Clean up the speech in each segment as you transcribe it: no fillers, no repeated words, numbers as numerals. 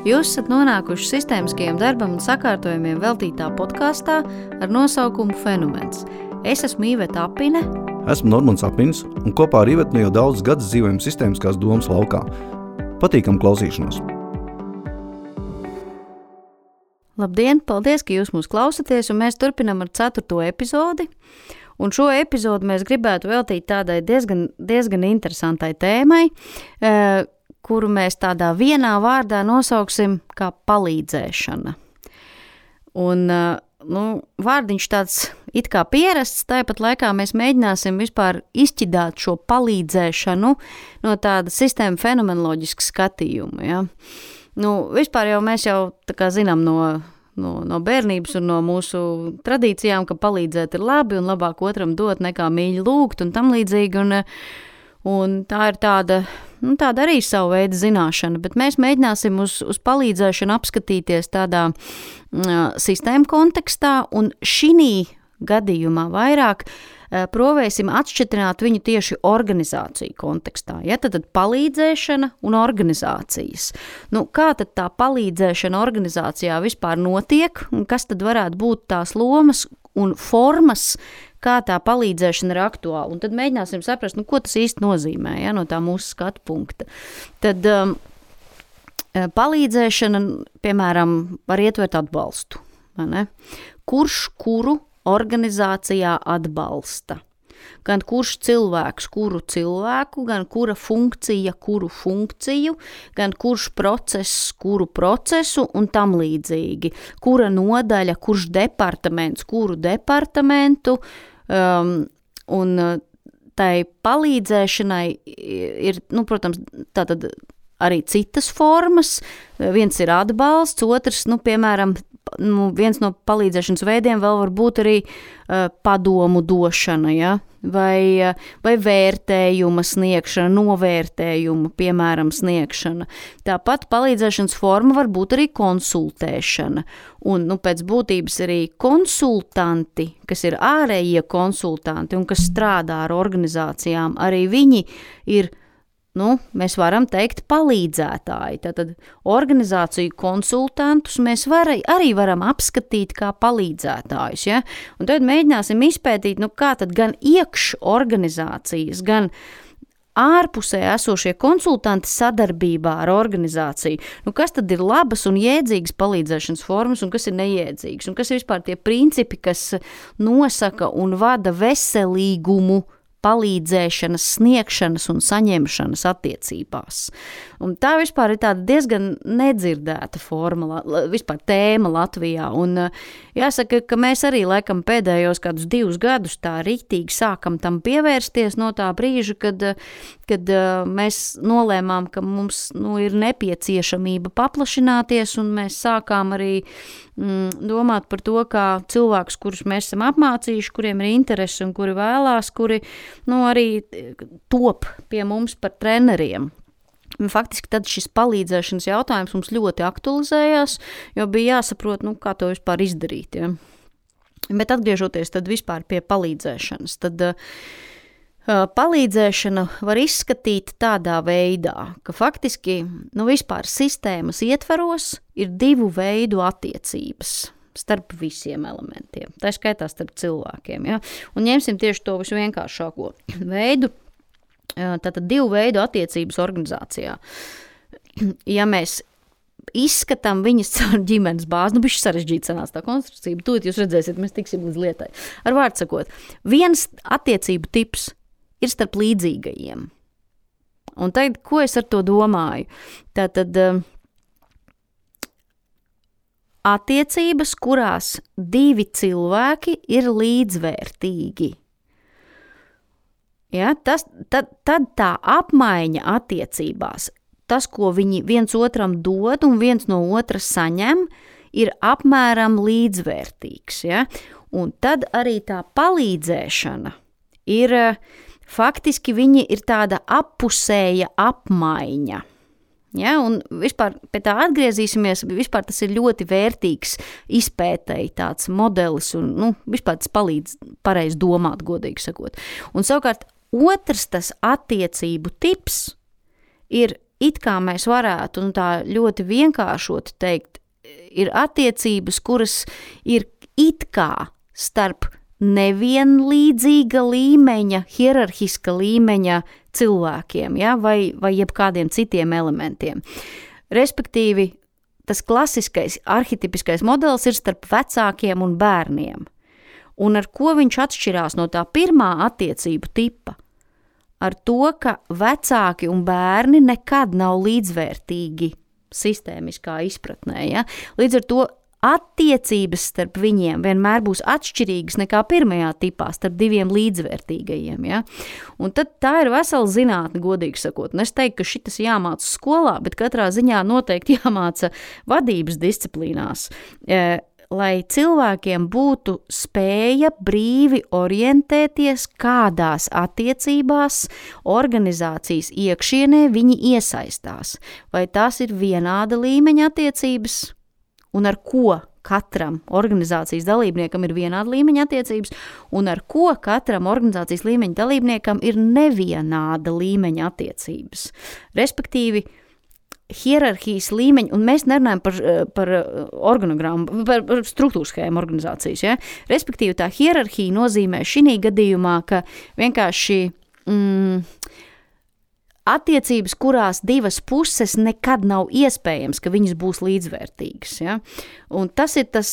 Jūs esat nonākuši sistēmiskajam darbam un sakārtojumiem veltītā podkāstā ar nosaukumu Fenomens. Es esmu Iveta Apine. Esmu Normons Apins un kopā ar Ivetu jau daudzus gadus dzīvojam sistēmiskās domas laukā. Patīkam klausīšanos! Labdien, paldies, ka jūs mūs klausaties, un mēs turpinam ar 4. epizodi. Un šo epizodu mēs gribētu veltīt tādai diezgan interesantai tēmai, kuru mēs tādā vienā vārdā nosauksim kā palīdzēšana. Un, vārdiņš tāds it kā pierasts, tāpat laikā mēs mēģināsim vispār izķidāt šo palīdzēšanu no tāda sistēma fenomenoloģiska skatījuma. Ja? Vispār jau mēs jau tā kā zinām no bērnības un no mūsu tradīcijām, ka palīdzēt ir labi un labāk otram dot nekā mīļi lūgt un tam līdzīgi. Un tā ir tāda arī savu veidu zināšana, bet mēs mēģināsim uz palīdzēšanu apskatīties tādā sistēmu kontekstā un šī gadījumā vairāk provēsim atšķitināt viņu tieši organizāciju kontekstā. Ja? Tad palīdzēšana un organizācijas. Kā tad tā palīdzēšana organizācijā vispār notiek un kas tad varētu būt tās lomas un formas, kā tā palīdzēšana ir aktuāla. Un tad mēģināsim saprast, ko tas īsti nozīmē, ja, no tā mūsu skatu punkta. Tad palīdzēšana, piemēram, var ietvert atbalstu. Ne? Kurš kuru organizācijā atbalsta? Gan kurš cilvēks kuru cilvēku, gan kura funkcija kuru funkciju, gan kurš process kuru procesu un tam līdzīgi. Kura nodaļa, kurš departaments kuru departamentu, un tai palīdzēšanai ir, protams, tātad arī citas formas. Viens ir atbalsts, otrs, piemēram, viens no palīdzēšanas veidiem vēl var būt arī padomu došana, ja? vai vērtējuma sniegšana, novērtējuma, piemēram, sniegšana. Tāpat palīdzēšanas forma var būt arī konsultēšana. Un pēc būtības arī konsultanti, kas ir ārējie konsultanti un kas strādā ar organizācijām, arī viņi ir mēs varam teikt palīdzētāji. Tātad organizāciju konsultantus mēs arī varam apskatīt kā palīdzētājus. Ja? Un tad mēģināsim izpētīt, kā tad gan iekš organizācijas, gan ārpusē esošie konsultanti sadarbībā ar organizāciju. Kas tad ir labas un jēdzīgas palīdzēšanas formas un kas ir nejēdzīgas? Un kas ir vispār tie principi, kas nosaka un vada veselīgumu palīdzēšanas, sniegšanas un saņemšanas attiecībās. Un tā vispār ir tāda diezgan nedzirdēta forma, vispār tēma Latvijā. Un jāsaka, ka mēs arī laikam pēdējos kādus 2 gadus tā riktīgi sākam tam pievērsties no tā brīža, kad mēs nolēmām, ka mums ir nepieciešamība paplašināties, un mēs sākām arī domāt par to, kā cilvēkus, kurus mēs esam apmācījuši, kuriem ir interesi un kuri vēlās, kuri arī top pie mums par treneriem. Faktiski tad šis palīdzēšanas jautājums mums ļoti aktualizējās, jo bija jāsaprot, kā to vispār izdarīt. Ja? Bet atgriežoties tad vispār pie palīdzēšanas, tad palīdzēšana var izskatīt tādā veidā, ka faktiski vispār sistēmas ietveros ir 2 veidu attiecības starp visiem elementiem, tā skaitā starp cilvēkiem. Ja? Un ņemsim tieši to visvienkāršāko veidu, tātad 2 veidu attiecības organizācijā. Ja mēs izskatām viņas caur ģimenes bāzi, bišķi sarežģīta sanāca tā konstrukcija, bet tūlīt jūs redzēsiet, mēs tiksim līdz lietai. Ar vārdu sakot, viens attiecību tips ir starp līdzīgajiem. Un tagad, ko es ar to domāju? Tātad attiecības, kurās 2 cilvēki ir līdzvērtīgi. Ja, tad tā apmaiņa attiecībās, tas, ko viņi viens otram dod un viens no otra saņem, ir apmēram līdzvērtīgs. Ja? Un tad arī tā palīdzēšana ir, faktiski viņi ir tāda appusēja apmaiņa. Ja, un vispār pie tā atgriezīsimies, vispār tas ir ļoti vērtīgs izpētēji tāds modelis un vispār tas palīdz pareizi domāt, godīgi sakot. Un savukārt otrs tas attiecību tips ir it kā mēs varētu tā ļoti vienkāršot teikt, ir attiecības, kuras ir it kā starp nevienlīdzīga līmeņa, hierarhiska līmeņa cilvēkiem, ja, vai jebkādiem citiem elementiem. Respektīvi, tas klasiskais, arhetipiskais modelis ir starp vecākiem un bērniem. Un ar ko viņš atšķirās no tā pirmā attiecību tipa? Ar to, ka vecāki un bērni nekad nav līdzvērtīgi sistēmiskā izpratnē. Ja? Līdz ar to attiecības starp viņiem vienmēr būs atšķirīgas nekā pirmajā tipā, starp diviem līdzvērtīgajiem. Ja? Un tad tā ir vesela zinātne, godīgi sakot. Un es teiktu, ka šitas jāmāca skolā, bet katrā ziņā noteikti jāmāca vadības disciplīnās, lai cilvēkiem būtu spēja brīvi orientēties, kādās attiecībās organizācijas iekšienē viņi iesaistās. Vai tās ir vienāda līmeņa attiecības, un ar ko katram organizācijas dalībniekam ir vienāda līmeņa attiecības, un ar ko katram organizācijas līmeņa dalībniekam ir nevienāda līmeņa attiecības. Respektīvi, hierarhijas līmeņi, un mēs nerunājam par organogrammu, par struktūru schēmu organizācijas. Ja? Respektīvi, tā hierarhija nozīmē šī gadījumā, ka vienkārši attiecības, kurās divas puses nekad nav iespējams, ka viņas būs līdzvērtīgas. Ja? Un tas ir tas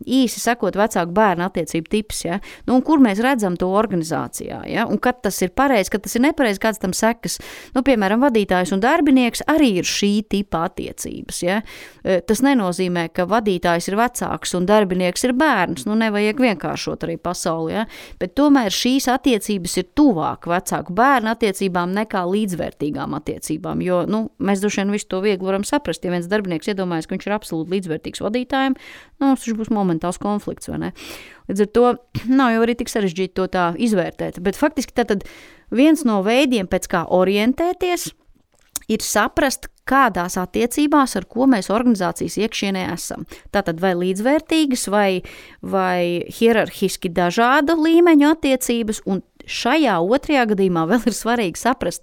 īsi sakot vecāku bērnu attiecību tips. Ja? Nu, un kur mēs redzam to organizācijā? Ja? Un kad tas ir pareizi, kad tas ir nepareizi, kāds tam sekas. Nu, piemēram, vadītājs un darbinieks arī ir šī tipa attiecības. Ja? Tas nenozīmē, ka vadītājs ir vecāks un darbinieks ir bērns. Nu, nevajag vienkāršot arī pasauli. Ja? Bet tomēr šīs attiecības ir tuvāk vecāku bērnu attiecībām nekā līdzvērtīgām attiecībām, jo mēs droši vien visu to viegli varam saprast. Ja viens darbinieks iedomājas, ka viņš ir absolūti līdzvērtīgs vadītājiem, tas būs momentāls konflikts, vai ne? Līdz ar to nav jau arī tik sarežģīti to tā izvērtēt, bet faktiski tad viens no veidiem, pēc kā orientēties, ir saprast, kādās attiecībās, ar ko mēs organizācijas iekšienē esam. Tātad vai līdzvērtīgas, vai hierarhiski dažāda līmeņa attiecības, un šajā otrajā gadījumā vēl ir svarīgi saprast,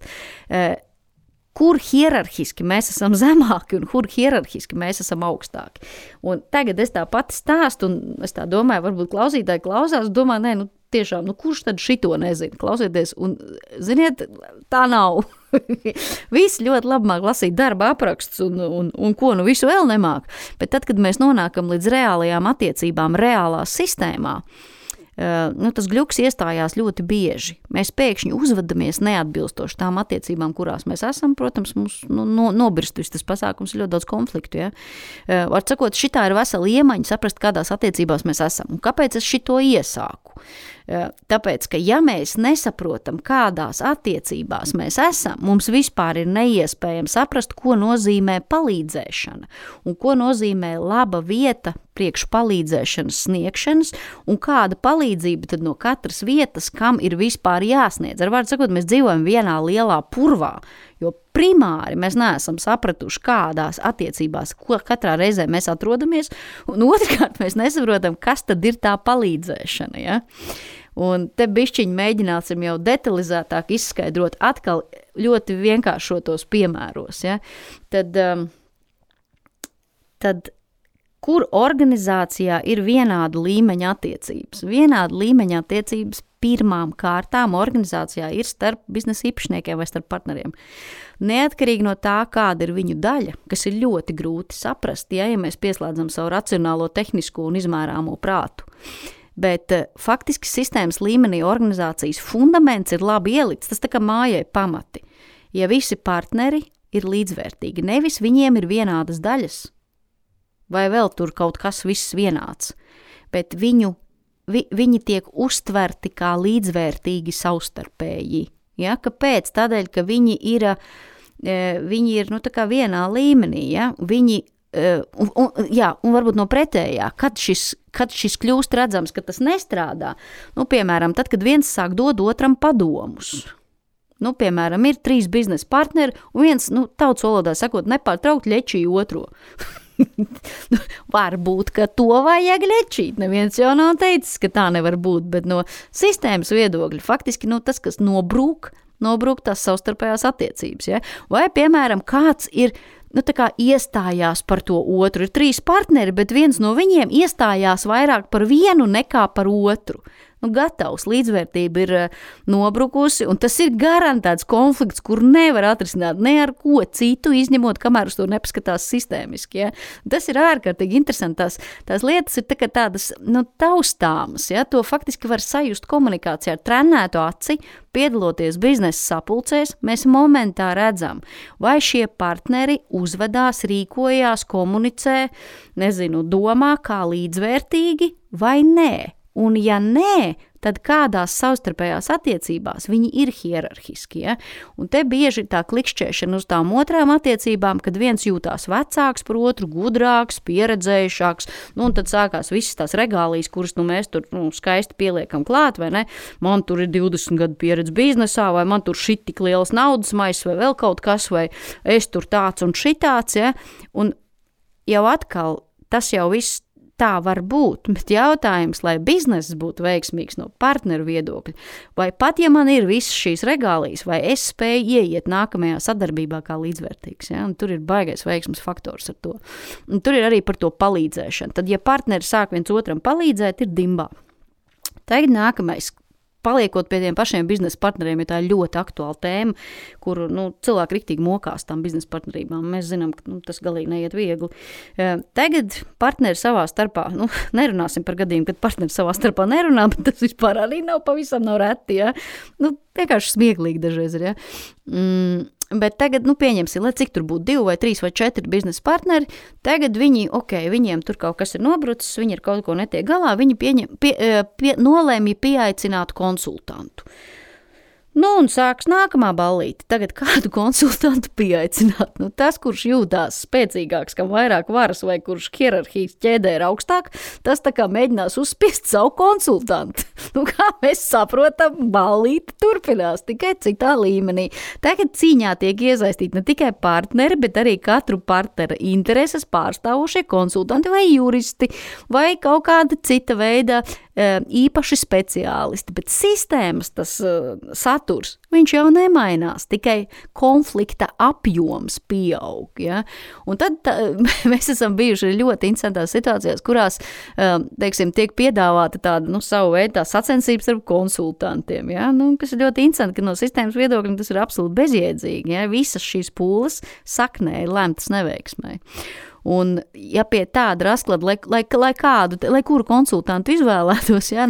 kur hierarhiski mēs esam zemāki un kur hierarhiski mēs esam augstāki. Un tagad es tā pati stāstu, un es tā domāju, varbūt klausītāji klausās, domā, tiešām, kurš tad šito nezina? Klausieties, un ziniet, tā nav. Visi ļoti labi māk lasīt darba aprakstus un ko visu vēl nemāk. Bet tad, kad mēs nonākam līdz reālajām attiecībām, reālā sistēmā, tas gļuks iestājās ļoti bieži. Mēs pēkšņi uzvedamies neatbilstoši tām attiecībām, kurās mēs esam. Protams, mums nobirst viss tas pasākums, ir ļoti daudz konfliktu. Ja? Var sakot, šitā ir vesela iemaņa saprast, kādās attiecībās mēs esam. Un kāpēc es šito iesāku? Tāpēc, ka ja mēs nesaprotam, kādās attiecībās mēs esam, mums vispār ir neiespējami saprast, ko nozīmē palīdzēšana un ko nozīmē laba vieta priekš palīdzēšanas sniegšanas un kāda palīdzība tad no katras vietas, kam ir vispār jāsniedz. Ar vārdu sakot, mēs dzīvojam vienā lielā purvā, jo primāri mēs neesam sapratuši, kādās attiecībās, ko katrā reizē mēs atrodamies, un otrkārt mēs nesaprotam, kas tad ir tā palīdzēšana. Ja? Un te bišķiņi mēģināsim jau detalizētāk izskaidrot atkal ļoti vienkāršotos piemēros. Ja? Tad kur organizācijā ir vienāda līmeņa attiecības? Vienāda līmeņa attiecības pirmām kārtām organizācijā ir starp biznesa īpašniekiem vai starp partneriem. Neatkarīgi no tā, kāda ir viņu daļa, kas ir ļoti grūti saprast, ja mēs pieslēdzam savu racionālo, tehnisko un izmērāmo prātu. Bet faktiski sistēmas līmenī organizācijas fundaments ir labi ielikts, tas tā kā mājai pamati. Ja visi partneri ir līdzvērtīgi, nevis viņiem ir vienādas daļas, vai vēl tur kaut kas viss vienāds, bet viņi tiek uztverti kā līdzvērtīgi savstarpēji. Ja? Kāpēc? Tādēļ, ka viņi ir tā kā vienā līmenī. Ja? Un varbūt no pretējā, kad šis kļūst redzams, ka tas nestrādā. Piemēram, tad, kad viens sāk dot otram padomus. Piemēram, ir 3 biznesa partneri, un viens, tautas valodā sakot, nepārtraukt ļečī otro. Varbūt, ka to vajag ļečīt. Neviens jau nav teicis, ka tā nevar būt, bet no sistēmas viedokļa faktiski tas, kas nobrūk, nobrūk tās savstarpējās attiecības. Ja? Vai, piemēram, kāds ir tā kā iestājās par to otru. Ir 3 partneri, bet viens no viņiem iestājās vairāk par vienu nekā par otru. Gatavs, līdzvērtība ir nobrukusi, un tas ir garantēts konflikts, kur nevar atrisināt ne ar ko citu, izņemot, kamēr uz to nepaskatās sistēmiski. Ja? Tas ir ārkārtīgi interesanti. Tās lietas ir tādas taustāmas. Ja? To faktiski var sajust komunikācijā ar trenētu aci, piedaloties biznesa sapulcēs, mēs momentā redzam, vai šie partneri uzvedās, rīkojās, komunicē, domā kā līdzvērtīgi vai nē. Un ja nē, tad kādās savstarpējās attiecībās viņi ir hierarhiski. Ja? Un te bieži ir tā klikšķēšana uz tām otrām attiecībām, kad viens jūtās vecāks par otru, gudrāks, pieredzējušāks, un tad sākās visas tās regālijas, kuras mēs tur skaisti pieliekam klāt, vai ne? Man tur ir 20 gadu pieredze biznesā, vai man tur šit tik liels naudas maiss, vai vēl kaut kas, vai es tur tāds un šitāds. Ja? Un jau atkal tas jau viss tā var būt, bet jautājums, lai bizness būtu veiksmīgs no partneru viedokļa, vai pat, ja man ir visas šīs regālijas, vai es spēju ieiet nākamajā sadarbībā kā līdzvērtīgs, ja? Un tur ir baigais veiksmes faktors ar to. Un tur ir arī par to palīdzēšanu. Tad, ja partneri sāk viens otram palīdzēt, ir dimbā. Tagad nākamais. Paliekot pie tiem pašiem biznesa partneriem, ja tā ir ļoti aktuāla tēma, kur cilvēki riktīgi mokās tām biznesa partnerībām. Mēs zinām, ka tas galīgi neiet viegli. Tagad partneri savā starpā, nerunāsim par gadījumu, kad partneri savā starpā nerunā, bet tas vispār arī nav reti. Ja? Vienkārši smieklīgi dažreiz ir. Ja? Bet tagad, pieņemsim, lai cik tur būtu 2 vai 3 vai 4 biznesa partneri, tagad viņiem tur kaut kas ir nobrucis, viņi ar kaut ko netiek galā, viņi nolēmja pieaicināt konsultantu. Un sāks nākamā ballīte. Tagad kādu konsultantu pieaicināt? Tas, kurš jūtās spēcīgāks, kam vairāk varas vai kurš hierarhijas ķēdē ir augstāk, tas tā kā mēģinās uzspiest savu konsultantu. Kā mēs saprotam, ballīte turpinās tikai citā līmenī. Tagad cīņā tiek iesaistīti ne tikai partneri, bet arī katru partnera intereses pārstāvošie konsultanti vai juristi vai kaut kāda cita veida īpaši speciālisti, bet sistēmas tas saturs, viņš jau nemainās, tikai konflikta apjoms pieaug. Ja? Un tad mēs esam bijuši ļoti interesantās situācijās, kurās, tiek piedāvāta tāda, savu veidu tā sacensības starp konsultantiem, ja? Kas ir ļoti interesanti, ka no sistēmas viedokļa tas ir absolūti bezjēdzīgi. Ja? Visas šīs pūles saknē ir lemtas neveiksmai. Un, ja pie tāda rasklada, lai kuru konsultantu izvēlētos, ja,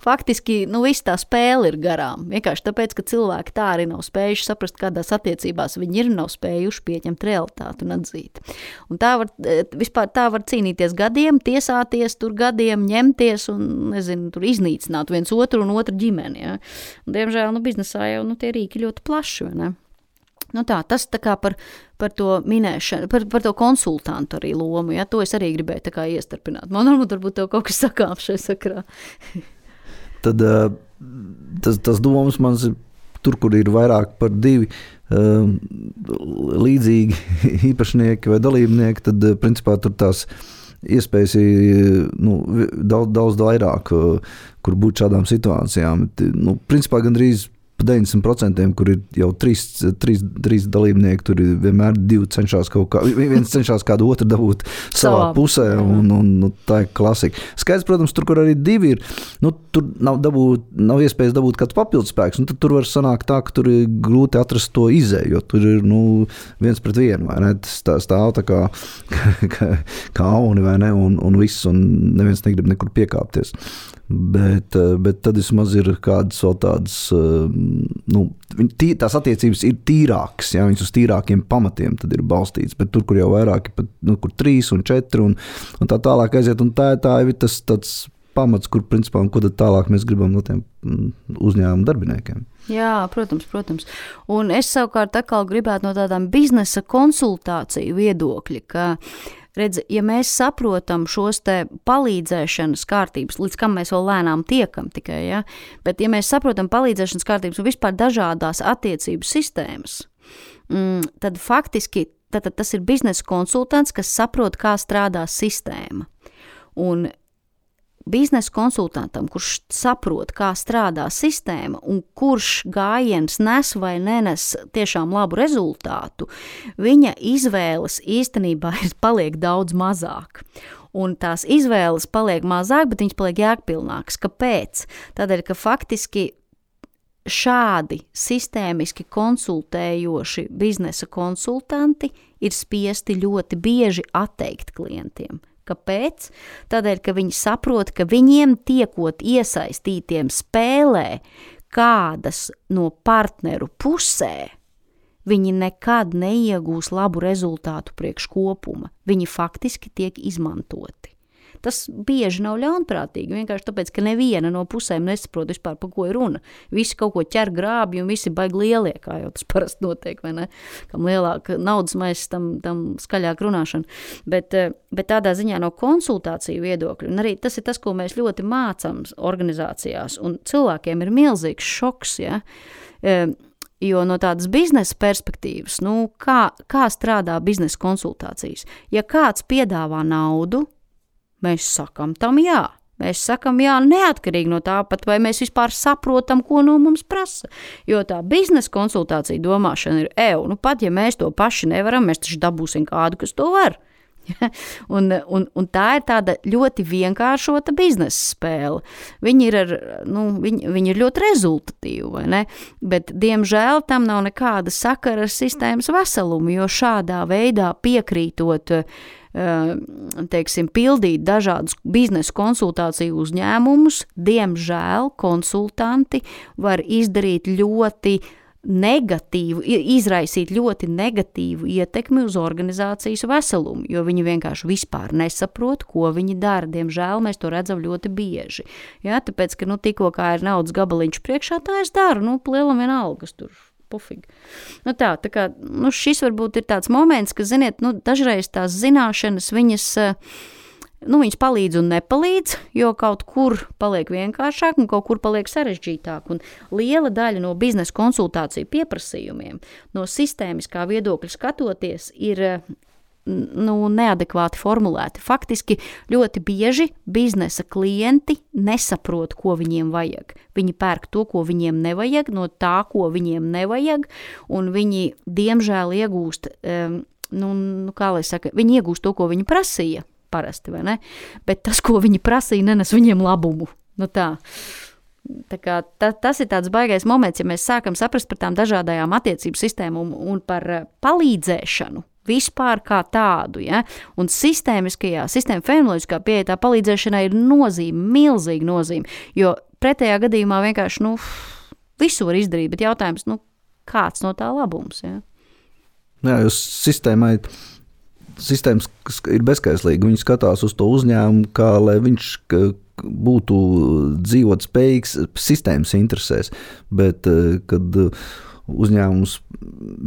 faktiski viss tā spēle ir garām. Vienkārši tāpēc, ka cilvēki tā arī nav spējuši saprast, kādās attiecībās viņi ir, nav spējuši pieņemt realitāti un atzīt. Un tā var cīnīties gadiem, tiesāties tur gadiem, ņemties un, tur iznīcināt viens otru un otru ģimeni. Ja. Un, diemžēl, biznesā jau tie rīki ļoti plaši, vai ne? Tas tā kā par to minēšanu, par to konsultantu arī lomu, ja, to es arī gribēju tā kā iestarpināt. Man varbūt tev kaut kas sakāms šai sakarā. Tad tas domas man ir tur, kur ir vairāk par 2 līdzīgi īpašnieki vai dalībnieki, tad principā tur tās iespējas ir daudz vairāk, kur būt šādām situācijām. Principā gandrīz 90%, kur ir jau 3 dalībnieki, tur ir vienmēr 2 cenšas viens cenšas kādu otru dabūt savā pusē, un tā ir klasika. Skaidrs, protams, tur, kur arī 2 ir, tur nav iespējas dabūt kāds papildus spēks, un tad tur var sanākt tā, ka tur ir grūti atrast to izēju, jo tur ir, 1 pret 1, vai ne? Tas stāv tā kā auni, vai ne, un viss, un neviens negrib nekur piekāpties. Bet tad vismaz ir kādas vēl tādas, tās attiecības ir tīrākas, ja, viņas uz tīrākiem pamatiem tad ir balstīts, bet tur, kur jau vairāki, kur 3 un 4 un tā tālāk aiziet, un tā ir tas tāds pamats, kur principā, un ko tad tālāk mēs gribam no tiem uzņēmumu darbiniekiem. Jā, protams. Un es savukārt atkal gribētu no tādām biznesa konsultāciju viedokļa, ka redz, ja mēs saprotam šos te palīdzēšanas kārtības, līdz kam mēs vēl lēnām tiekam tikai, ja? Bet ja mēs saprotam palīdzēšanas kārtības un vispār dažādās attiecību sistēmas, tad faktiski tas ir biznesa konsultants, kas saprot, kā strādā sistēma. Un biznesa konsultantam, kurš saprot, kā strādā sistēma un kurš gājiens nes vai nenes tiešām labu rezultātu, viņa izvēles īstenībā paliek daudz mazāk. Un tās izvēles paliek mazāk, bet viņas paliek jēgpilnākas. Kāpēc? Tādēļ, ka faktiski šādi sistēmiski konsultējoši biznesa konsultanti ir spiesti ļoti bieži atteikt klientiem. Kāpēc? Tādēļ, ka viņi saprot, ka viņiem tiekot iesaistītiem spēlē kādas no partneru pusē, viņi nekad neiegūs labu rezultātu priekš kopuma. Viņi faktiski tiek izmantoti. Tas bieži nav ļaunprātīgi, vienkārši tāpēc, ka neviena no pusēm nesaprot vispār, pa ko ir runa. Visi kaut ko ķer grābi un visi baigi lielie, kā jau tas parasti notiek, vai ne? Kam lielāka naudas maisa, tam skaļāk runāšana. Bet tādā ziņā no konsultāciju viedokļu, un arī tas ir tas, ko mēs ļoti mācām organizācijās, un cilvēkiem ir milzīgs šoks, ja? Jo no tādas biznesa perspektīvas, kā strādā biznesa konsultācijas? Ja kāds piedāvā naudu, mēs sakam tam jā. Mēs sakam jā neatkarīgi no tā pat, vai mēs vispār saprotam, ko no mums prasa. Jo tā biznesa konsultācija domāšana ir pat ja mēs to paši nevaram, mēs taču dabūsim kādu, kas to var. Un tā ir tāda ļoti vienkāršota biznesa spēle. Viņi ir ļoti rezultatīvi, vai ne? Bet, diemžēl, tam nav nekāda sakara ar sistēmas veselumu, jo šādā veidā piekrītot pildīt dažādus biznesa konsultāciju uzņēmumus, diemžēl konsultanti var izdarīt izraisīt ļoti negatīvu ietekmi uz organizācijas veselumu, jo viņi vienkārši vispār nesaprot, ko viņi dara. Diemžēl mēs to redzam ļoti bieži. Ja, tāpēc, ka tikko kā ir naudas gabaliņš priekšā, tā es daru, lielam vienalga, kas tur pufīgi. Tā kā, šis varbūt ir tāds moments, ka, ziniet, dažreiz tās zināšanas viņas palīdz un nepalīdz, jo kaut kur paliek vienkāršāk un kaut kur paliek sarežģītāk. Un liela daļa no biznesa konsultāciju pieprasījumiem, no sistēmiskā viedokļa skatoties, ir neadekvāti formulēti. Faktiski ļoti bieži biznesa klienti nesaprot, ko viņiem vajag. Viņi pērk to, ko viņiem nevajag, no tā, ko viņiem nevajag, un viņi, diemžēl, iegūst, viņi iegūst to, ko viņi prasīja, parasti, vai ne? Bet tas, ko viņi prasīja, nenes viņiem labumu. Tā kā tas ir tāds baigais moments, ja mēs sākam saprast par tām dažādajām attiecību sistēmām un par palīdzēšanu vispār kā tādu, ja? Un sistēma fenomenoloģiskā pieeja tā palīdzēšanai ir milzīga nozīme, jo pretējā gadījumā vienkārši, visu var izdarīt, bet jautājums, kāds no tā labums, ja? Jā, jo sistēmas ir bezskaislīga. Viņi skatās uz to uzņēmumu, kā lai viņš būtu dzīvot spējīgs sistēmas interesēs. Bet, kad uzņēmums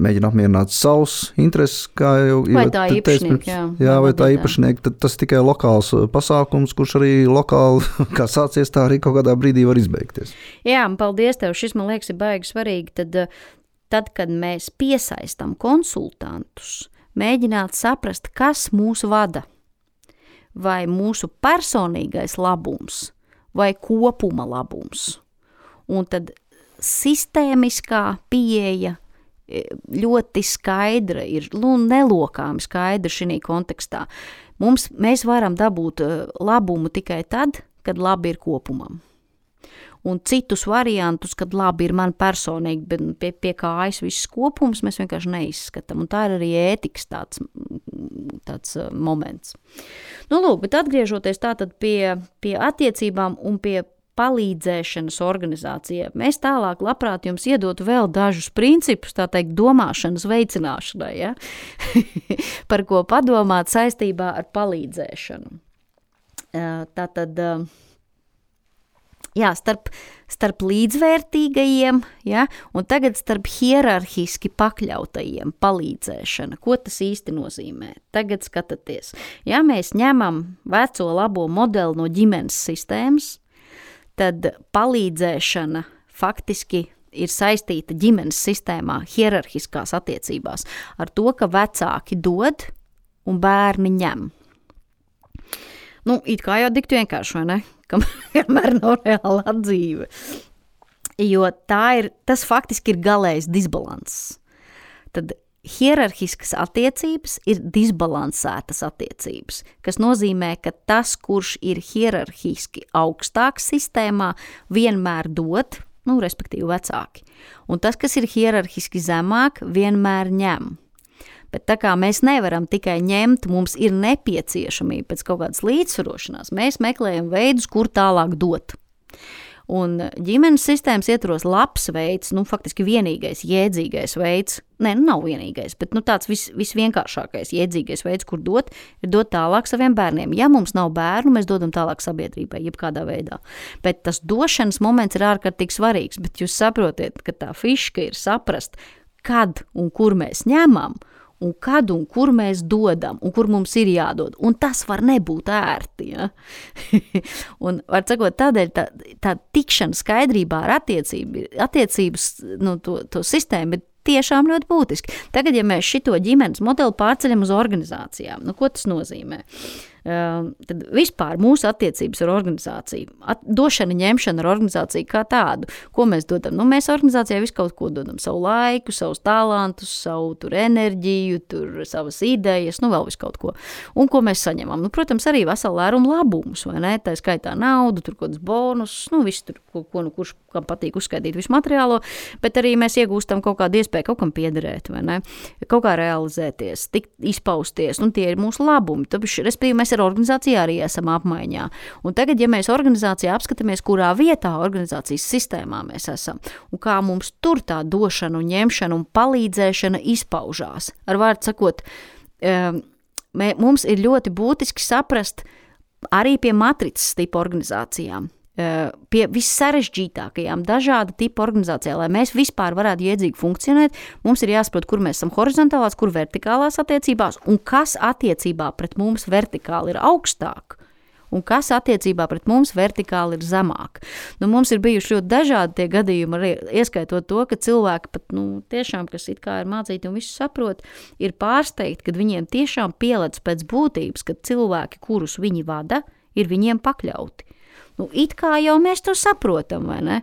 mēģina apmierināt savus intereses, kā jau vai tā īpašnieki, vai tā īpašnieki, tad tas tikai lokāls pasākums, kurš arī lokāli, kā sācies, tā arī kaut kādā brīdī var izbeigties. Jā, paldies tev, šis man liekas ir baigi svarīgi, tad, kad mēs piesaistam konsultantus, mēģināt saprast, kas mūs vada, vai mūsu personīgais labums, vai kopuma labums. Un tad sistēmiskā pieeja ļoti skaidra ir, nelokāmi skaidra šī kontekstā. Mēs varam dabūt labumu tikai tad, kad labi ir kopumam. Un citus variantus, kad labi ir man personīgi, bet pie kājas viss kopums, mēs vienkārši neizskatām. Un tā ir arī ētikas tāds moments. Lūk, bet atgriežoties tātad pie attiecībām un pie palīdzēšanas organizācijai, mēs tālāk labprāt jums iedotu vēl dažus principus, tā teikt, domāšanas veicināšanai, ja? Par ko padomāt saistībā ar palīdzēšanu. Tātad... Jā, starp līdzvērtīgajiem, ja, un tagad starp hierarhiski pakļautajiem palīdzēšana. Ko tas īsti nozīmē? Tagad skatāties. Ja mēs ņemam veco labo modeli no ģimenes sistēmas, tad palīdzēšana faktiski ir saistīta ģimenes sistēmā, hierarhiskās attiecībās ar to, ka vecāki dod un bērni ņem. It kā jau diktu vienkārši, vai ne? kamēr nav reāla dzīve. Jo tas faktiski ir galējs disbalanss. Tad hierarhiskas attiecības ir disbalansētas attiecības, kas nozīmē, ka tas, kurš ir hierarhiski augstāks sistēmā, vienmēr dod, respektīvi vecāki. Un tas, kas ir hierarhiski zemāk, vienmēr ņem. Bet tā kā mēs nevaram tikai ņemt, mums ir nepieciešamība pēc kaut kādas līdzsvarošanās, mēs meklējam veidus, kur tālāk dot. Un ģimenes sistēmas ietvaros labs veids, faktiski vienīgais, jēdzīgais veids, nav vienīgais, bet tāds visvienkāršākais, jēdzīgais veids, kur dot, ir dot tālāk saviem bērniem. Ja mums nav bērnu, mēs dodam tālāk sabiedrībai, jebkādā veidā. Bet tas došanas moments ir ārkārtīgi svarīgs, bet jūs saprotiet, ka tā fiška ir saprast, kad un kur mēs ņemam, un kad un kur mēs dodam, un kur mums ir jādod. Un tas var nebūt ērti. Ja? Un, var sakot, tādēļ tā tikšana skaidrībā ar attiecības to sistēmu ir tiešām ļoti būtiski. Tagad, ja mēs šito ģimenes modeli pārceļam uz organizācijām, ko tas nozīmē? Tad vispār mūsu attiecības ar organizāciju, došana, ņemšana ar organizāciju kā tādu, ko mēs dodam? Mēs organizācijā visu kaut ko dodam, savu laiku, savus talantus, savu enerģiju, savas idejas, vēl visu kaut ko. Un ko mēs saņemam? Protams, arī veselu lērumu labumus, vai ne? Tā skaitā naudu, tur kaut kāds bonus, visu tur, kurš kam patīk uzskaitīt visu materiālo, bet arī mēs iegūstam kaut kādu iespēju kaut kam piederēt, vai ne? Kaut kā realizēties, tikt izpausties, tie ir mūsu labumi. Respektīvi, mēs ar organizāciju arī esam apmaiņā. Un tagad, ja mēs organizācijā apskatāmies, kurā vietā organizācijas sistēmā mēs esam, un kā mums tur tā došana un ņemšana un palīdzēšana izpaužās. Ar vārdu sakot, mums ir ļoti būtiski saprast arī pie matricas tipa organizācijām, pie vissarežģītākajām dažāda tipa organizācijā, lai mēs vispār varētu jēdzīgi funkcionēt, mums ir jāsaprot, kur mēs esam horizontālās, kur vertikālās attiecībās, un kas attiecībā pret mums vertikāli ir augstāk, un kas attiecībā pret mums vertikāli ir zemāk. Mums ir bijuši ļoti dažādi tie gadījumi, arī ieskaitot to, ka cilvēki pat, tiešām, kas it kā ir mācīti un visu saprot, ir pārsteigti, kad viņiem tiešām pielec pēc būtības, ka cilvēki, kurus viņi vada, ir viņiem pakļauti. It kā jau mēs to saprotam, vai ne?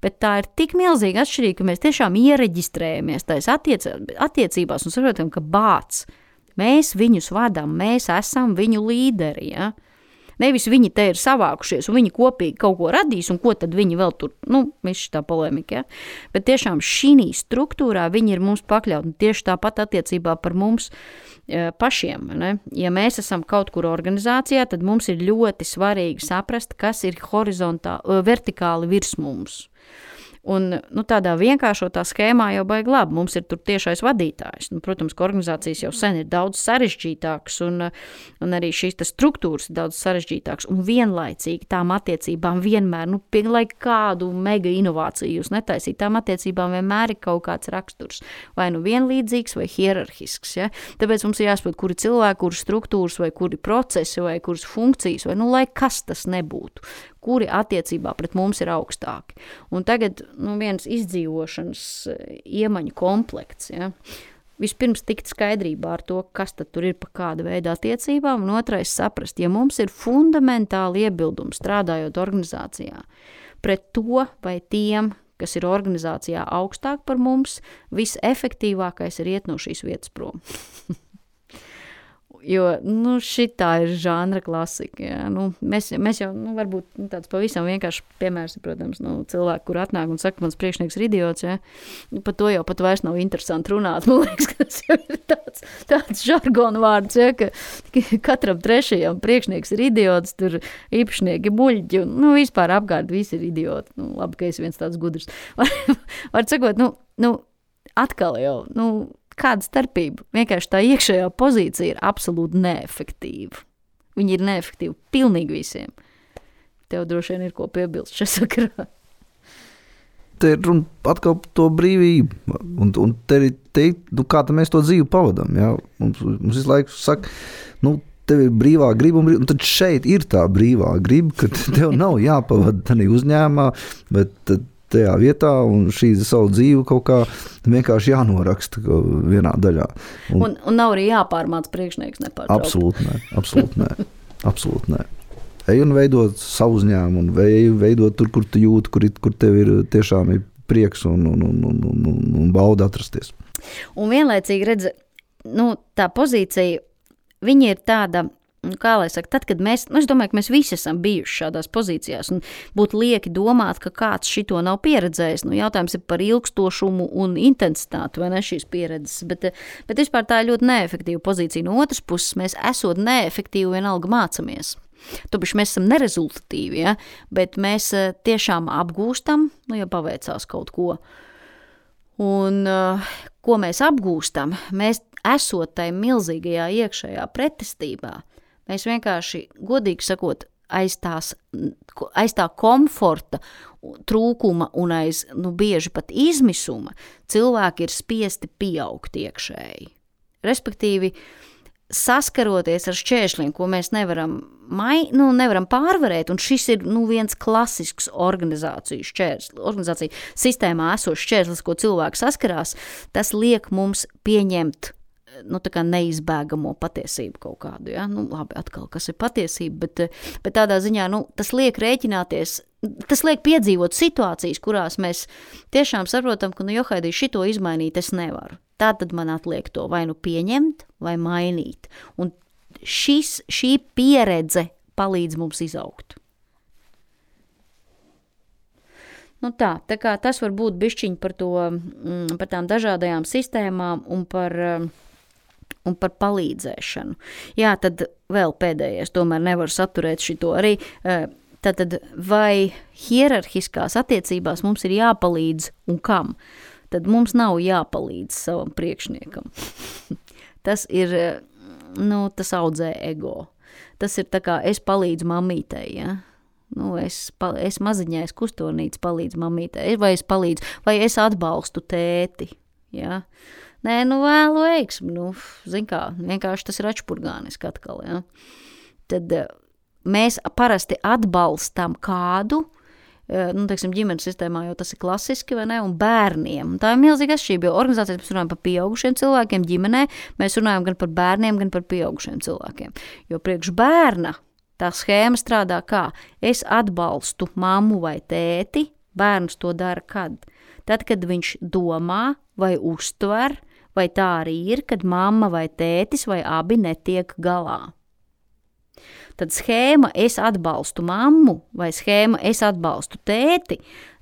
Bet tā ir tik milzīga atšķirība, ka mēs tiešām iereģistrējamies tais attiecībās un saprotam, ka mēs viņus vadām, mēs esam viņu līderi, ja? Nevis viņi te ir savākušies un viņi kopīgi kaut ko radīs un ko tad viņi vēl tur, viss šitā polemika, ja? Bet tiešām šī struktūrā viņi ir mums pakļauti tieši tāpat attiecībā par mums pašiem, ne? Ja mēs esam kaut kur organizācijā, tad mums ir ļoti svarīgi saprast, kas ir vertikāli virs mums. Un tādā vienkāršotā schēmā jau baigi labi. Mums ir tur tiešais vadītājs. Protams, ka organizācijas jau sen ir daudz sarežģītākas un arī šīs struktūras ir daudz sarežģītākas. Un vienlaicīgi tām attiecībām vienmēr, lai kādu mega inovāciju jūs netaisīt, tām attiecībām vienmēr ir kaut kāds raksturs. Vai vienlīdzīgs vai hierarhisks. Ja? Tāpēc mums ir jāsaprot, kuri cilvēki, kuras struktūras vai kuri procesi vai kuras funkcijas vai lai kas tas nebūtu. Kuri attiecībā pret mums ir augstāki. Un tagad viens izdzīvošanas iemaņu komplekts. Ja? Vispirms tikt skaidrībā ar to, kas tad tur ir pa kāda veida attiecībām, un otrais saprast, ja mums ir fundamentāli iebildumi strādājot organizācijā pret to vai tiem, kas ir organizācijā augstāk par mums, visefektīvākais ir iet no šīs vietas prom. Jo, šitā ir žanra klasika, ja. Mēs jau, varbūt tāds pavisam vienkārši piemērs, protams, cilvēki, kur atnāk un saka, mans priekšnieks ir idiots, ja. Par to jau pat vairs nav interesanti runāt, man liekas, ka tas jau ir tāds žargona vārds, ja, ka katram trešajam priekšnieks ir idiots, tur īpašnieki muļķi, un, vispār apkārt visi ir idioti, labi, ka es viens tāds gudrs. Var sakot, atkal jau, kāda starpība? Vienkārši tā iekšējā pozīcija ir absolūti neefektīva. Viņi ir neefektīvi pilnīgi visiem. Tev droši vien ir ko piebilst šajā sakarā. Te ir runa atkal par to brīvību. Un te kā mēs to dzīvi pavadām. Ja? Mums visu laiku saka, tev ir brīvā griba, un tad šeit ir tā brīvā griba, ka tev nav jāpavada tādā uzņēmumā, bet tajā vietā, un šī savu dzīvi kaut kā vienkārši jānoraksta vienā daļā. Un nav arī jāpārmāc priekšnieks nepārtraukti. Absolūti nē. ej un veidot savu uzņēmumu, un veidot tur, kur tu jūti, kur tev ir tiešām ir prieks un bauda atrasties. Un vienlaicīgi redz, tā pozīcija, viņa ir tāda, kā lai saka, tad, kad es domāju, ka mēs visi esam bijuši šādās pozīcijās un būtu lieki domāt, ka kāds šito nav pieredzējis. Jautājums ir par ilgstošumu un intensitāti, vai ne šīs pieredzes, bet vispār tā ir ļoti neefektīva pozīcija. No otras puses, mēs esot neefektīvi vienalga mācamies. Tāpēc mēs esam nerezultatīvi, ja? Bet mēs tiešām apgūstam, ja paveicās kaut ko. Un ko mēs apgūstam, mēs esot tai milzīgajā iekšējā pretestībā, mēs vienkārši, godīgi sakot, aiz tā komforta trūkuma un aiz, bieži pat izmisuma, cilvēki ir spiesti pieaugt iekšēji. Respektīvi, saskaroties ar šķēršļiem, ko mēs nevaram pārvarēt, un šis ir viens klasisks organizāciju sistēmā esošs šķērslis, ko cilvēks saskarās, tas liek mums pieņemt tā kā neizbēgamo patiesību kaut kādu, ja? Labi, atkal, kas ir patiesība, bet tādā ziņā, tas liek rēķināties, tas liek piedzīvot situācijas, kurās mēs tiešām saprotam, ka, johaidī, šito izmainīt es nevaru. Tātad man atliek to vai pieņemt, vai mainīt. Un šī pieredze palīdz mums izaugt. Tā kā tas var būt bišķiņ par tām dažādajām sistēmām un par palīdzēšanu. Jā, tad vēl pēdējais, tomēr nevar saturēt šito arī. Tātad, vai hierarhiskās attiecībās mums ir jāpalīdz un kam? Tad mums nav jāpalīdz savam priekšniekam. Tas ir, tas audzē ego. Tas ir tā kā es palīdzu mamītei, ja? Es maziņai, es kustonīts palīdzu mamītei, vai es atbalstu tēti, ja? Nē, vēlu veiksmi, zin kā, vienkārši tas ir atšpurgāniski atkal, ja. Tad mēs parasti atbalstam kādu, teiksim, ģimenes sistēmā jau tas ir klasiski, vai ne, un bērniem. Un tā ir milzīga atšķirība, jo organizācijas mēs runājam par pieaugušiem cilvēkiem, ģimenē, mēs runājam gan par bērniem, gan par pieaugušiem cilvēkiem. Jo priekš bērna tā schēma strādā kā, es atbalstu mammu vai tēti, bērns to dara kad? Tad, kad viņš domā vai uztver, vai tā arī ir, kad mamma vai tētis vai abi netiek galā. Tad schēma es atbalstu mammu vai schēma es atbalstu tēti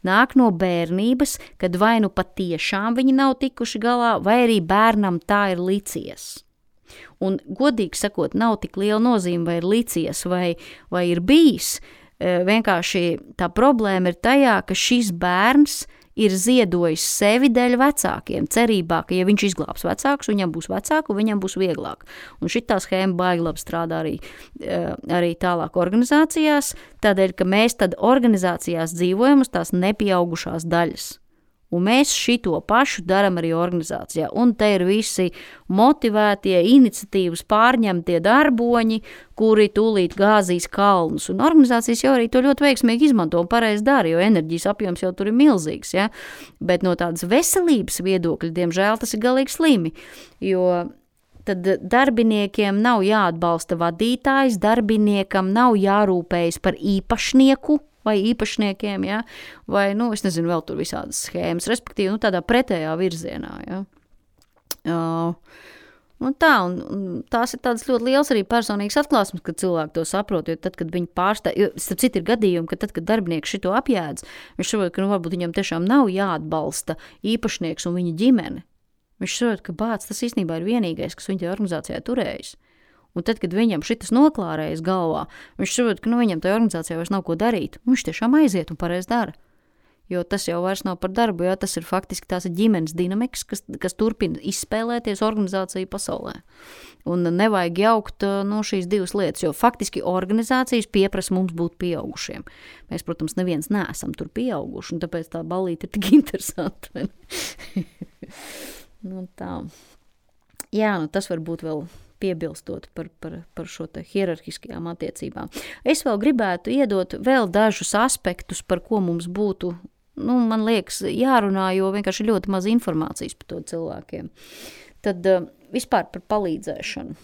nāk no bērnības, kad vai patiešām viņi nav tikuši galā, vai arī bērnam tā ir licies. Un godīgi sakot, nav tik liela nozīme, vai ir licies, vai ir bijis. Vienkārši tā problēma ir tajā, ka šis bērns ir ziedojis sevi dēļ vecākiem, cerībā, ka, ja viņš izglābs vecākus, viņam būs vecāku, viņam būs vieglāk. Un šitā schēma baigi labi strādā arī tālāk organizācijās, tādēļ, ka mēs tad organizācijās dzīvojam uz tās nepieaugušās daļas. Un mēs šito pašu daram arī organizācijā. Un te ir visi motivētie, iniciatīvas pārņemtie darboņi, kuri tūlīt gāzīs kalnus. Un organizācijas jau arī to ļoti veiksmīgi izmanto un pareizi dara, jo enerģijas apjoms jau tur ir milzīgs. Ja? Bet no tādas veselības viedokļa, diemžēl, tas ir galīgi slimi. Jo tad darbiniekiem nav jāatbalsta vadītājs, darbiniekam nav jārūpējas par īpašnieku, vai īpašniekiem, ja? Vai, es nezinu, vēl tur visādas schēmas, respektīvi, tādā pretējā virzienā, ja? Un tās ir tādas ļoti liels arī personīgas atklāsmes, kad cilvēki to saprot, jo tad, kad viņi starp citu ir gadījumi, ka tad, kad darbinieks šito apjēdz, viņš saprot, ka varbūt viņam tiešām nav jāatbalsta īpašnieks un viņa ģimene. Viņš saprot, ka tas īstenībā ir vienīgais, kas viņa organizācijā turējis. Un tad, kad viņam šitas noklārējas galvā, viņš saprot, ka viņam tajā organizācijā vairs nav ko darīt. Viņš tiešām aiziet un pareizi dara. Jo tas jau vairs nav par darbu, jo tas ir faktiski tās ģimenes dinamikas, kas turpina izspēlēties organizāciju pasaulē. Un nevajag jaukt šīs divas lietas, jo faktiski organizācijas pieprasa mums būt pieaugušiem. Mēs, protams, neviens neesam tur pieauguši, un tāpēc tā ballīte ir tik interesanta. Tā. Jā, tas var būt vēl piebilstot par šo te hierarhiskajām attiecībām. Es vēl gribētu iedot vēl dažus aspektus, par ko mums būtu, man liekas, jārunā, jo vienkārši ļoti maz informācijas par to cilvēkiem. Tad vispār par palīdzēšanu.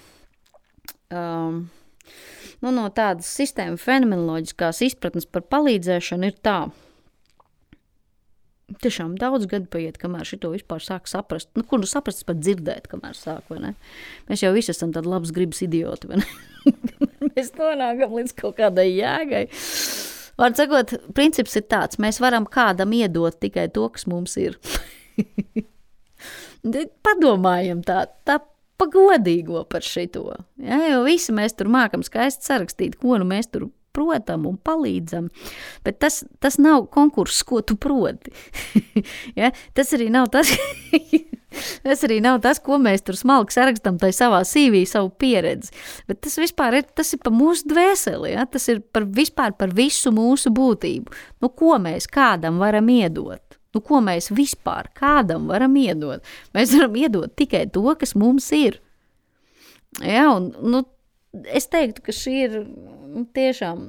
no tādas sistēma fenomenoloģiskās izpratnes par palīdzēšanu ir tā. Tiešām daudz gadu paiet, kamēr šito vispār sāk saprast. Kur nu saprast, pat dzirdēt, kamēr sāk, vai ne? Mēs jau visi esam tādi labas gribas idioti, vai ne? Mēs nonākam līdz kaut kādai jēgai. Vārds sakot, princips ir tāds, mēs varam kādam iedot tikai to, kas mums ir. Padomājam tā pagodīgo par šito. Ja, jo visi mēs tur mākam skaisti sarakstīt, ko nu mēs tur protam un palīdzam, bet tas nav konkurss, ko tu proti. Ja? Tas arī nav tas, ko mēs tur smalki sarakstam tai savā CV, savu pieredzi, bet tas vispār ir, tas ir par mūsu dvēseli, ja? Tas ir vispār par visu mūsu būtību. Nu, ko mēs kādam varam iedot? Nu, ko mēs vispār kādam varam iedot? Mēs varam iedot tikai to, kas mums ir. Ja, un, nu, es teiktu, ka šī ir tiešām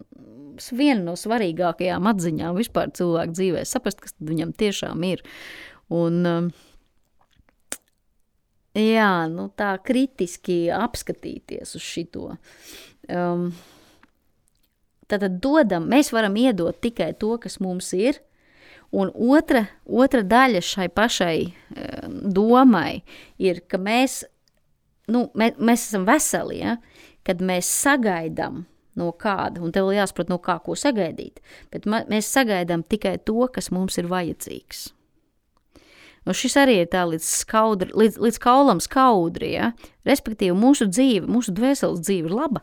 viena no svarīgākajām atziņām vispār cilvēku dzīvē. Saprast, kas viņam tiešām ir. Un, jā, nu tā kritiski apskatīties uz šito. Tātad mēs varam iedot tikai to, kas mums ir. Un otra daļa šai pašai domai ir, ka mēs esam veseli, ja? Kad mēs sagaidām no kāda, un tev jāsaprot, no kā ko sagaidīt, bet mēs sagaidām tikai to, kas mums ir vajadzīgs. Un šis arī ir tā līdz kaulam skaudri, ja? Respektīvi mūsu dzīve, mūsu dvēseles dzīve ir laba,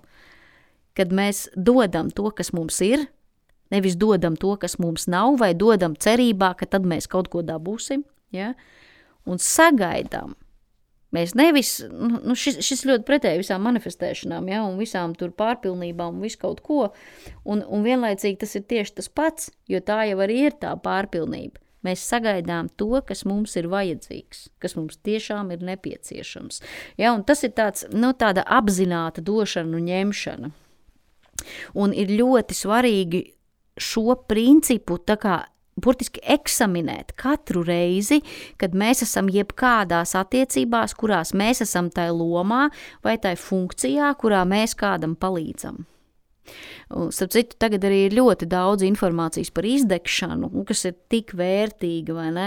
kad mēs dodam to, kas mums ir, nevis dodam to, kas mums nav, vai dodam cerībā, ka tad mēs kaut ko dabūsim, ja? Un sagaidām. Mēs nevis, šis ļoti pretēji visām manifestēšanām, ja, un visām tur pārpilnībām un visu kaut ko, un vienlaicīgi tas ir tieši tas pats, jo tā jau arī ir tā pārpilnība. Mēs sagaidām to, kas mums ir vajadzīgs, kas mums tiešām ir nepieciešams. Ja, un tas ir tāda apzināta došana un ņemšana. Un ir ļoti svarīgi šo principu tā kā burtiski eksaminēt katru reizi, kad mēs esam jebkādās attiecībās, kurās mēs esam tai lomā vai tai funkcijā, kurā mēs kādam palīdzam. Starp citu, tagad arī ir ļoti daudz informācijas par izdegšanu, kas ir tik vērtīga, vai ne?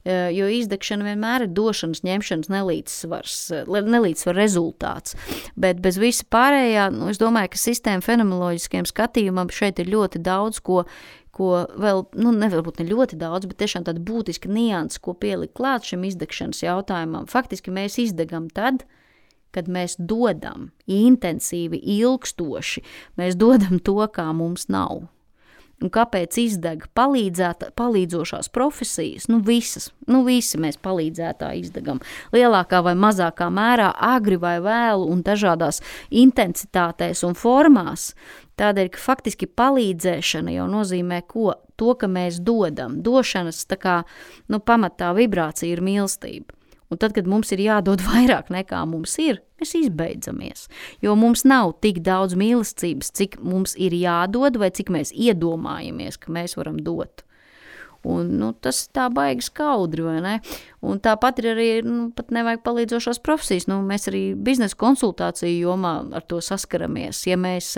Jo izdegšana vienmēr ir došanas, ņemšanas nelīdzsvar rezultāts. Bet bez visa pārējā, es domāju, ka sistēma fenomenoloģiskiem skatījumam šeit ir ļoti daudz, ko vēl, nevarbūt ne ļoti daudz, bet tiešām tāda būtiska nianses, ko pielikt klāt šim izdegšanas jautājumam. Faktiski mēs izdegam tad, kad mēs dodam intensīvi, ilgstoši, mēs dodam to, kā mums nav. Un kāpēc izdeg palīdzošās profesijas? Visi mēs palīdzētāji izdegam. Lielākā vai mazākā mērā, agri vai vēlu un dažādās intensitātēs un formās. Tādēļ, ka faktiski palīdzēšana jau nozīmē ko? To, ka mēs dodam. Došanas tā kā, pamatā vibrācija ir mīlestība. Un tad, kad mums ir jādod vairāk nekā mums ir, mēs izbeidzamies. Jo mums nav tik daudz mīlestības, cik mums ir jādod vai cik mēs iedomājamies, ka mēs varam dot. Un, tas tā baigi skaudri, vai ne? Un tāpat ir arī, pat nevajag palīdzošās profesijas. Mēs arī biznesa konsultāciju jomā ar to saskaramies. Ja mēs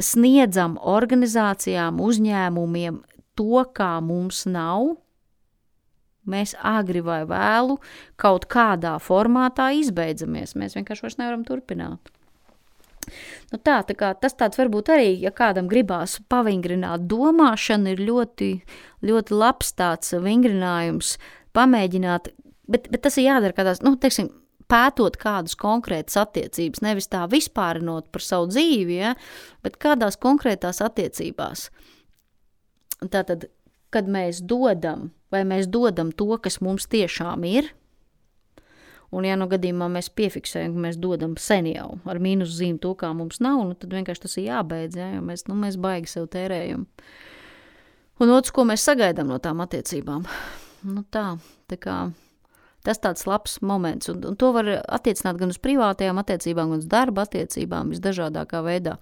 sniedzam organizācijām, uzņēmumiem to, kā mums nav, mēs agri vai vēlu kaut kādā formātā izbeidzamies. Mēs vienkārši vairs nevaram turpināt. Tā kā tas tāds varbūt arī, ja kādam gribās pavingrināt domāšanu, ir ļoti, ļoti labs tāds vingrinājums pamēģināt, bet tas ir jādara kādās, pētot kādas konkrētas attiecības, nevis tā vispārinot par savu dzīvi, ja, bet kādās konkrētās attiecībās. Tātad, kad mēs dodam, vai mēs dodam to, kas mums tiešām ir, un ja gadījumā mēs piefiksējam, ka mēs dodam sen jau ar mīnus zīmi to, kā mums nav, tad vienkārši tas ir jābeidz, ja, jo mēs baigi sev tērējam. Un otrs, ko mēs sagaidām no tām attiecībām. Tā kā tas tāds labs moments, un to var attiecināt gan uz privātajām attiecībām, gan uz darba attiecībām, visdažādākā veidā.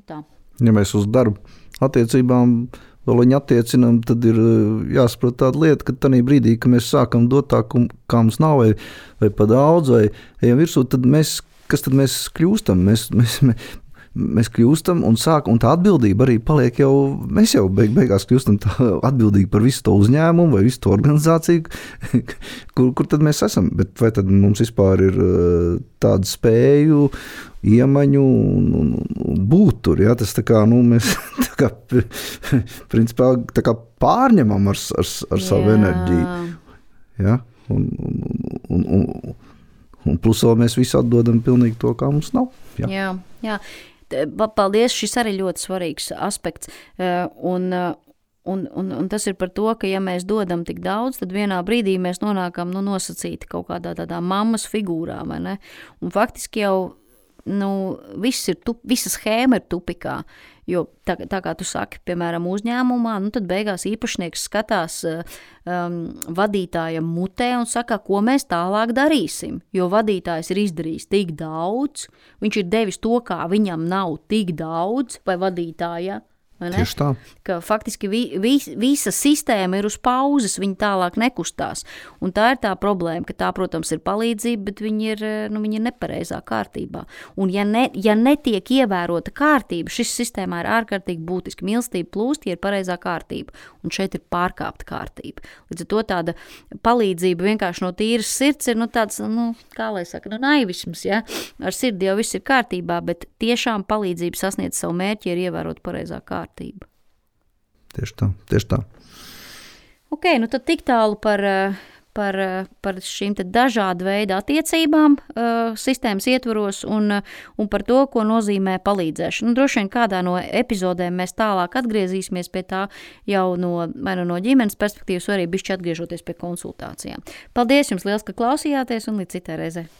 Tā. Ja mēs uz darba attiecībām vēl viņu attiecinām, tad ir jāsaprot tāda lieta, ka tanī brīdī, ka mēs sākam dot tā, kā mums nav, vai pa daudz, vai ejam virsū, tad mēs kas tad mēs kļūstam? Mēs kļūstam un tā atbildība arī paliek jau, mēs jau beigās kļūstam atbildīgi par visu to uzņēmumu vai visu to organizāciju, kur tad mēs esam. Bet vai tad mums vispār ir tādu spēju, iemaņu un būt tur? Ja? Tas tā kā, mēs tā kā, principā, tā kā pārņemam ar savu enerģiju. Ja? Un plus vēl mēs visi atdodam pilnīgi to, kā mums nav. Jā. Paldies, šis arī ļoti svarīgs aspekts. Un tas ir par to, ka ja mēs dodam tik daudz, tad vienā brīdī mēs nonākam nosacīti kaut kādā tādā mammas figūrā, vai ne? Un faktiski jau visa schēma ir tupikā, jo tā kā tu saki, piemēram, uzņēmumā, tad beigās īpašnieks skatās vadītājam mutē un saka, ko mēs tālāk darīsim, jo vadītājs ir izdarījis tik daudz, viņš ir devis to, kā viņam nav tik daudz, vai vadītāja, Tieši tā. Ka faktiski visa sistēma ir uz pauzes, viņi tālāk nekustās. Un tā ir tā problēma, ka tā, protams, ir palīdzība, bet viņi ir nepareizā kārtībā. Un ja netiek ievērota kārtība, šis sistēmā ir ārkārtīgi būtiski. Mīlestība plūst, ja ir pareizā kārtība. Un šeit ir pārkāpta kārtība. Līdz ar to tāda palīdzība vienkārši no tīras sirds ir tāds, kā lai saka, naivisms, ja? Ar sirdi jau viss ir kārtībā, bet tiešām palīdzība sasniedz savu mērķi, ir ievērot pareizā kārtība. Tieši tā. Ok, tad tik tālu par šīm te dažādu veidu attiecībām sistēmas ietvaros un par to, ko nozīmē palīdzēšana. Droši vien kādā no epizodēm mēs tālāk atgriezīsimies pie tā jau vai no ģimenes perspektīvas, vai arī bišķi atgriežoties pie konsultācijām. Paldies jums liels, ka klausījāties un līdz citai reizei.